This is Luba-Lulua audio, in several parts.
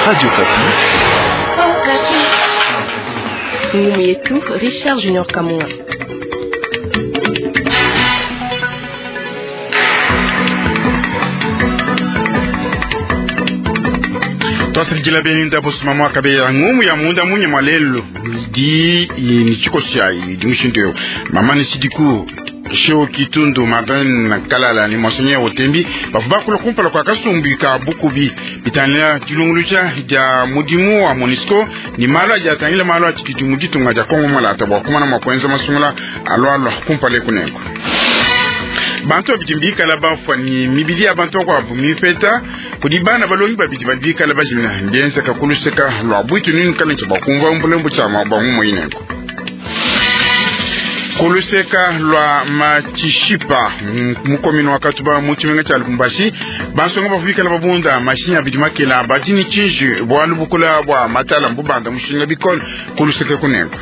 Radio Okapi. Ngumu yetu Richard Junior Kamunga. Twasilijila beni ndabo sumama kabe ngumu ya munda munye mwalelo di ni chikosia di mushindu mama ni sidiku Sheo Kitundu Madeleine Kalala ni Monseigneur Otembi bafu bakula kumpala kwa kasumbi ka bukubi bitanila dilunguluja dia mudimu wa MONUSCO ni malu adi atangila malu atshididi mu ditunga dia Kongo malata bua kumana mua kuenza masungula alualua kumpala ekunengo bantu babidi mbikala bafua ni mibidi ya bantu bakuabu mipeta kudi bana balongi babidi badi bikala bajimina mbienzeka kuluseka lua bwitu nini kala ntsha bakumva mbulembu tshia bamumue inengo kuluseka lwa matshishipa mukomino wa katuba mu tshimenga tshia Lubumbashi bansonga bavuikala babunda mashinyi abidi makela badi ni tshinji bualu bukula bua matala mbubanda mushinga bikole kuluseka kunengo.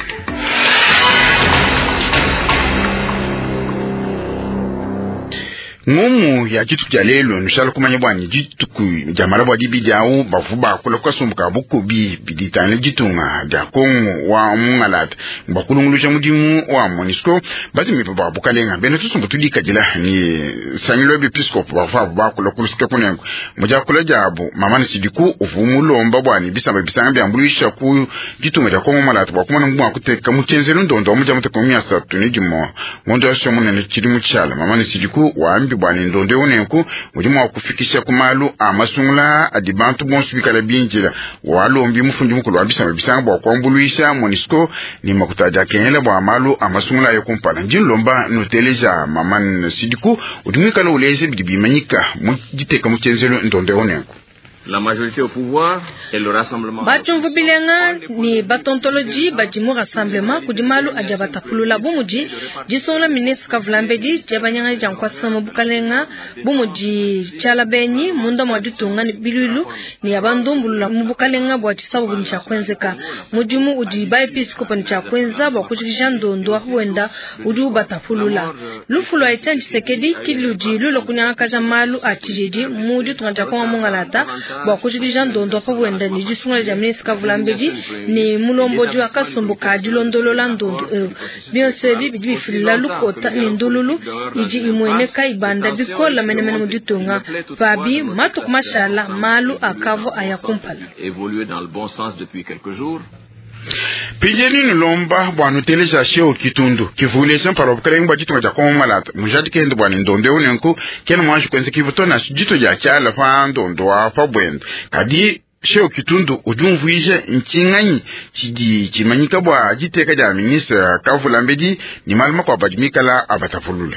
Ngumu ya dituku dia lelu nushala kumanya bwanyi dituku dia malabo dibidi awu bavu bakula kukasumbu ka bukubi biditangila ditunga dia Kongo wa mungalata bakulunguluja mudimu wa MONUSCO batumipa ba bukalenga bena tusumbu tudikadila ni sangilo bepiskopo bavu abo bakula kulusika kunengo mudiakula diabu mamana sidiku uvu mulomba bwani bisamba bisanga biambuluisha ku ditunga dia Kongo malata bua kumana ngumu akuteka muchenzelu ndondo wa mudia muteko miasatu ni dimo ngondo yasho munene tshili mutshala mamana sidiku wambi bwani ndondo unenku mudimu wa kufikisha ku malu a masungula adi bantu bonso bikala binjila walombi mufundi mukulu wa bisamba bisanga bua kuambuluisha MONUSCO ni makuta adi akengela bua malu a masungula ayo kumpala. Ndi nlomba nuteleja Maman Sidiku udi muikala uleja bidi bimanyika mu diteka mu tshienzelu ndondo unenku. La majorité au pouvoir et le rassemblement. Bachumvu bilenga ni batontoloji badi mu rassemblement kudi malu adi abatapulula bu mudi disungula ministre Kavulambedi diabanyanga dia nkwasa mu bukalenga bu mudi tshiala benyi munda mua ditunga ni bilulu ni abandumbulula mu bukalenga bua tshisabu ni tshia kuenzeka mudimu udi ba episcope ni tshia kuenza bua kujikija ndondo wa wenda udi ubatapulula lufu lua Etienne Tshisekedi kiludi lulo kunyangakaja malu a tshididi mu ditunga dia Kongo mungalata bua kujikija ndondo pa bwenda ni disungula dia ministre Kavulambedi ni mulombodi wa kasumbu ka dilondolola ndondo eu bionso ebi bidi bifilila lukota ni ndululu idi imueneka ibanda bikola menemene mu ditunga pabi matuku mashala malu akavua aya kumpala. Évoluer dans le bon sens depuis quelques jours. Pinjeni nulomba bua nuteleja Sheo Kitundu kivuleja mpala bukalenga bua ditunga dia Kongo malata mujadike bua ni ndondo eu nenku kena mwanji kuenza kivu na dito dia tshiala pa ndondo wa pa bwenda kadi Sheo Kitundu udi umvuija ntshinganyi tshidi tshimanyika bua diteka dia ministre Kavulambedi ni malu makuabu adi mikala abatapulula.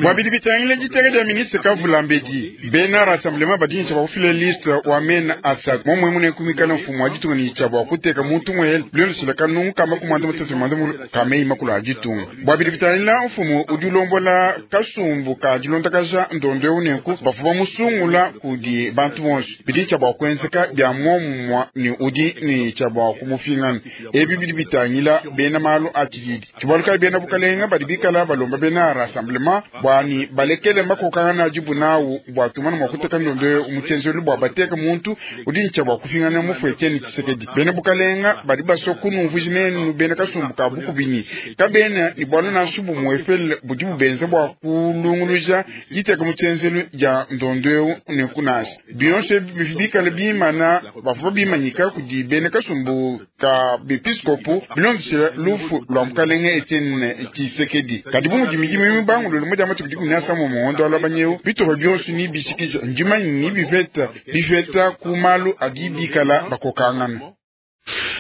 Bua bidi bitangila diteka dia ministre Kavulambedi bena rassemblement badi ntsha bua kufila liste wa mena asatu momwe mune kumikala mfumu wa ditunga ni tsha bua kuteka muntu mwele bilondeshela kanungu kama kumanda mutatu manda kamei makulu a ditunga. Bua bidi bitangila mfumu udi ulombola kasumbu ka dilondakaja ndondo eu nenku bavua bamusungula kudi bantu bonso bidi ntsha bua kuenzeka bia momumua ni udi ni tsha bua kumufingana. Ebi bidi bitangila bena malu a tshididi tshibaluka bena bukalenga badi bikala balomba bena rassemblement bua ni balekele makokangana adibu nawu bua tumana mua kuteka ndondo mu tshienzelu bua bateka muntu udi ntsha bua kufingana mufu Etienne Tshisekedi. Bena bukalenga badi basua kunumvuija nenu bena kasumbu ka bukubini kabena ni bualu nansha bumue efele budi bubenza bua kulunguluja diteka mu tshienzelu dia ndondo eu nenku nansha bionso ebi bikale bimana bavua bimanyika kudi bena kasumbu ka bepiskopo bilondeshela lufu lua mukalenge Etienne Tshisekedi. Kadi bu mudi midimu mibangulule mu dia matuku dikumi na asambombo mugondo wa lwabanyeu bitupa bionso ni bishikija ndimanyi ni biveta biveta ku malu adi bikala bakokangana.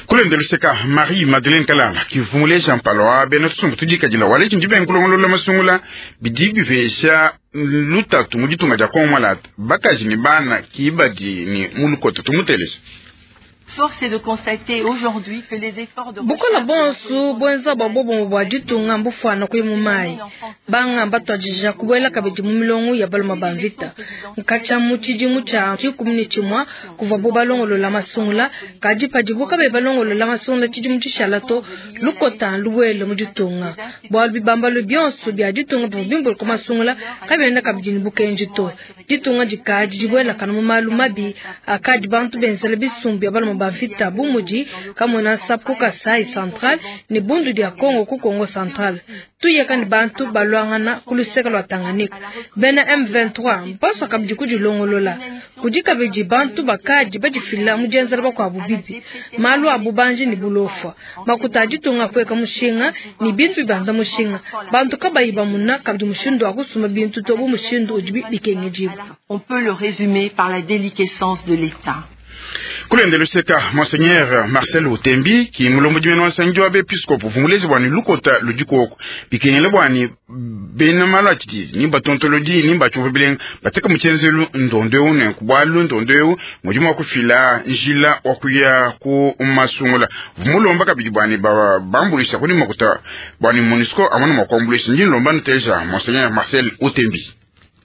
Kulende luseka Marie Madeleine Kalala kivumuleja mpala wa bena tusumbu tudikadila waleji ndi benkulongolola masungula bidi bivesha lutatu mu ditunga dia Kongo malata bakaji ni bana kibadi ni mulukota tumutelesha. Force est de constater aujourd'hui que les efforts de Bukola bonsu bwenza bwa bobongo bwa ditunga mbufwana kuyi mu mayi. Banga batwajija kubwela kabidi mu milongo ya baluma ba mvita. Nkacha mu tshidimu tshia 11 kuva bo balongolola masungula kadi padibo kabe balongolola masungula tshidimu tshishala to lukota lubwele mu ditunga. Bwalu bibambalo bionso bia ditunga bivua bimbulu ku masungula kabienda kabidi ne bukenji to. Ditunga dikadi dibwela kana mu malu mabi akadi bantu benzela bisumbu bia baluma ba mvita bu mudi Kamwina Nsapu ku Kasai Central ne Bundu dia Kongo ku Kongo Central. Tuyeka ne bantu balwangana ku luseke lwa Tanganyika. Bena M23 mpaswa kabidi kudilongolola. Kudi kabidi bantu bakadi badifila mu dienzela bakuabu bibi. Malu a bubanji ne bulofwa. Makuta a ditunga kueka mushinga ne bintu bibanda mushinga. Bantu kabayi bamuna kabidi mushindu wa kusumba bintu to bu mushindu udi bikengedibua. On peut le résumer par la déliquescence de l'État. Kulende luseka Monseigneur Marcel Utembi ki mulombo dimene wa nsangi wa bepiskopo vumulezi bwani lukota ludikoko bikengele bwani bena malu atshidi ni batontolodi ni batshiumva bilenga bateka mutshenzelu ndondo eu nenku bwalu ndondo eu mudimu wa kufila njila wa kuya ku masungula vumulomba kabidi bwani bambuluisha kuni makuta bwani MONUSCO amona mwa kuambuluisha ndi nlomba nuteja Monseigneur Marcel Utembi.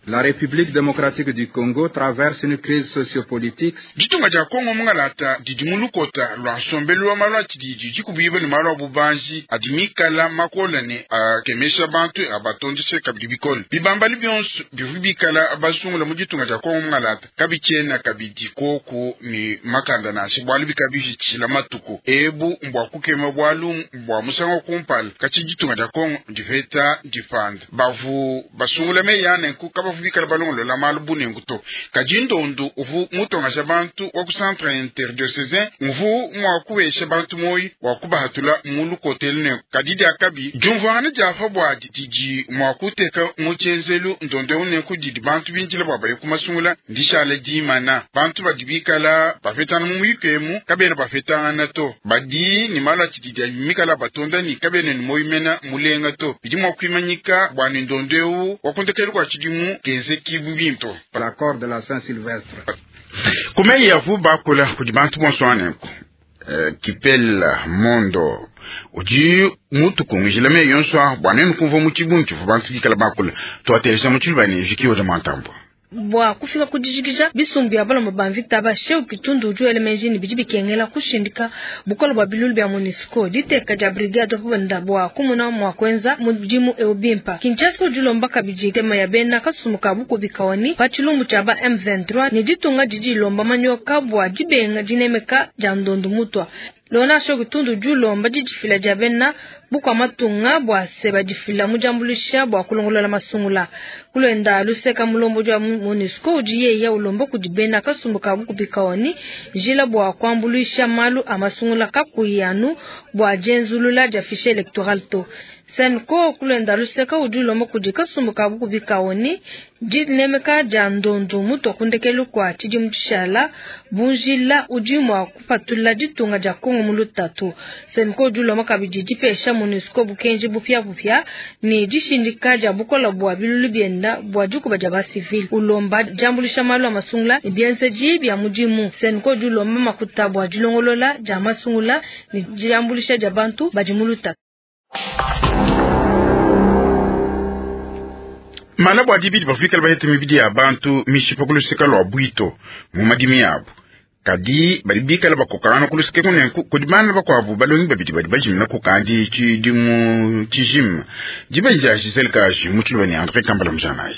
La République démocratique du Congo traverse une crise sociopolitique. Ditunga dia Kongo mungalata didi mu lukota lwa nsombelu wa malu a tshididi dikubiba ne malu a bubanji adi mikala makola ne akemesha bantu abatondeshe kabidi bikole. Bibambali bionso bivua bikala basungula mu ditunga dia Kongo mungalata kabitshiena kabidi koku ne makanda nansha bualu bikabihitshila matuku ebu mbua kukema bualu mbua musangu wa kumpala katshi ditunga dia Kongo ndipeta dipanda bavu basungula meyi anenku kabavu bikala balongolola malu bunengu to kadi ndondu uvu mutongasha bantu wa ku centre interdiocesain uvu mua kuwesha bantu moyi wa kubahatula mu lukotelu nenku kadi diakabi diumvuangana diapa buadi didi mua kuteka mu tshienzelu ndondo eu nenku didi bantu binjila bua baye kumasungula ndishala dimana bantu badi bikala bapetana mu muyuku emu kabena bapetangana to badi ni malu atshididi mikala batonda ni kabena ni moyi mena mulenga to bidi mua kuimanyika bua ne ndondo eu wa kundekelu kua tshidimu kenze kibu binto. L'accord de la Saint-Sylvestre. Kumeyi yavu bakula kudi bantu bonso anenku. Kipela mondo udi mutu kungijila meyi yonso bua nenu kumvua mu tshibungi tshivua bantu bikala bakula tuatelesha mu tshiluba ne Viki Oda Mantambua. Bua kufika kudijikija bisumbu bia balomba ba mvita ba Sheu Kitundu udi wela meji ne bidi bikengela kushindika bukola bua bilulu bia MONUSCO diteka dia brigade bunda bua kumuna mua kuenza mudimu eu bimpa. Kinshasa udi ulomba kabidi tema ya bena kasumbu ka bukubi kawani pa tshilumbu tshia ba M23 ne ditunga didi ilomba manyoka bua dibenga dinemeka dia ndondu mutwa. Lona Sheu Kitundu udi ulomba didifila dia bena bukua matunga bua se badifila mu diambuluisha bua kulongolola masungula. Kulwenda luseka mulombo dia MONUSCO udi yeya ulomba kudi bena kasumbu ka bukubi kawani njila bua kuambuluisha malu a masungula kakuyi anu bua dienzulula dia fichier electoral to. Senko kulwenda luseka udi ulomba kudi kasumbu ka bukubi kawani dinemeka dia ndondu mutu kundekelu kwa tshidimu tshishala bunjila udi mua kupatula ditunga dia Kongo mu lutatu. Senko udi ulomba kabidi dipesha MONUSCO bukenji bupia bupia ne dishindika dia bukola bua bilulu bienda bua dikuba dia basivili. Ulomba diambuluisha malu a masungula ne bienzeji bia mudimu. Senko udi ulomba makuta bua dilongolola dia masungula ne diambuluisha dia bantu badi mu lutatu. Mala bua dibidi bafikala bahete mibidi ya bantu mishipa kuluseka lwa bwito mu madimi yabo kadi badi bikala bakokangana kuluseke kunenku kudi bana bakuabu balongi babidi badi bajimina kukandi tshidimu tshijima diba dia Giselle Kaji mu tshiluba ne André Kambala Mujanayi.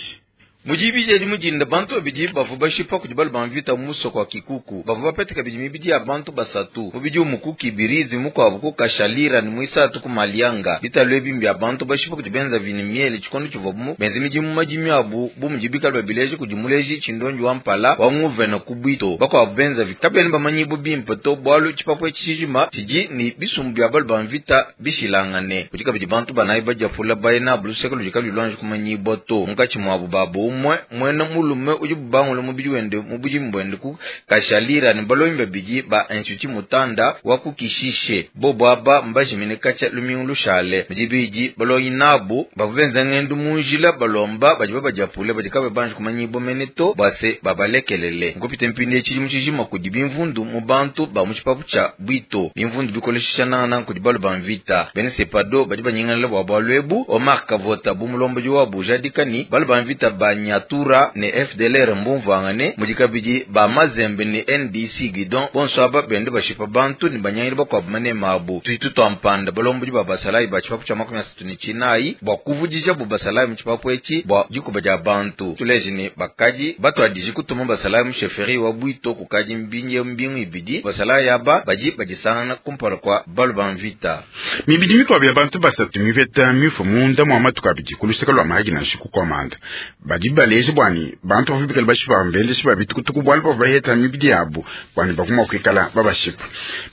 Mujibije di mujinda bantu babidi bavua bashipa kudi balu ba mvita mu musoko wa Kikuku bavua bapete kabidi mibidi ya bantu basatu mubidi umu ku Kibirizi mukuabu ku Kashalira ne muisatu ku Malianga bitalu ebi mbia bantu bashipa kudi benza vini miele tshikondo tshivua mu benza midimu madimi abu bu mudi bikala babileje kudi muleji tshindonji wa mpala wa nguvena ku Bwito bakuabu benza vi kabena bamanyibu bimpe to bualu tshipapu etshi tshijima tshidi ne bisumbu bia balu ba mvita bishilangane kudi kabidi bantu banayi badiapula bayina abu luseke ludi kaluyi luanji kumanyibua to munkatshi muabu babu Umue muena mulume udi bubangula mubidi wende mu budimu buende ku Kashalira ne balongi babidi ba Institut Mutanda wa ku Kishishe. Bobu aba mbajimine katshia lumingu lushale. Mu dibidi balongi nabu bavua benza ngendu mu njila balomba badi babadiapule badi kabayi banji kumanyibua mene to bua se babalekelele. Nkupite mpindieu tshidimu tshijima kudi bimvundu mu bantu ba mu tshipapu tshia Bwito. Bimvundu bikoleshisha nangananga kudi balu ba mvita. Bena Sepado badi banyingalala bua bualu ebu. Omar Kavota bu mulombodi wabu ujadika ne balu ba mvita ba Nyatura ne FDLR mbumvuangane, mudi kabidi ba Mazembe ne NDC Guidon, bonso aba benda bashipa bantu ne banyangila bakuabu manema abu. Tudi tutua mpanda balombodi ba basalayi ba tshipapu tshia 39 bua kuvudijabu basalayi mu tshipapu etshi bua dikuba dia bantu. Tuleje ne bakadi batuadije kutuma basalayi mu chefferie wa Bwito kukadi mbingu ibidi. Basalayi aba badi badisangana kumpala kua balu ba mvita. Mibidi mikuabu ya bantu basatu mipeta mifue munda mua matuku abidi ku luseke lua Mahagi nansha ku Komanda. Badi baleja bua ne bantu bavua bikale bashipa mbendeshi ba bitukutuku bualu bavua baheta mibidi yabu bua ne bavua mua kuikala babashipa.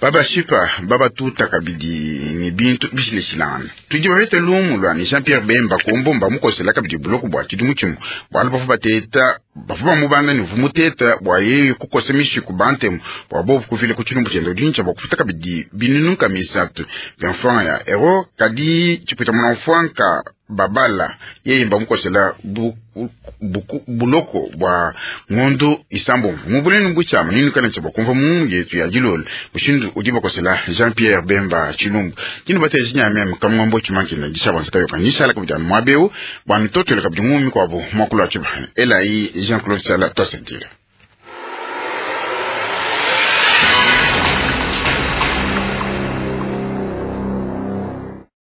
Babashipa babatuta kabidi ne bintu bishilashilangane. Tudi bapete lumu lua ne Jean Pierre Bemba Kombo mbamukosela kabidi buloko bua tshidimu tshimue bualu bavua bateta bavua bamubanda ne uvua muteta bua yeye kukosa mishiku bantemu bua bobu kufila ku tshilumbu tshiende udi bua kufuta kabidi binunu nkama isatu bia mfranga ya euro kadi tshipita muna mfranka babala yeye mbamukosela buloko bua ngondu isambombo mu bunene butshiama ninukana tshia bakumva mu yetu ya dilolo mushindu udi bakosela Jean Pierre Bemba tshilumbu tshinu bateji nyameme kamwambo tshimankina dishabanza kayoka nishala kabidi anu muaba eu bua mitotelo kabidi ngumi kuabu muakulu wa tshibana elayi Jean Claude Tshala twasakidila.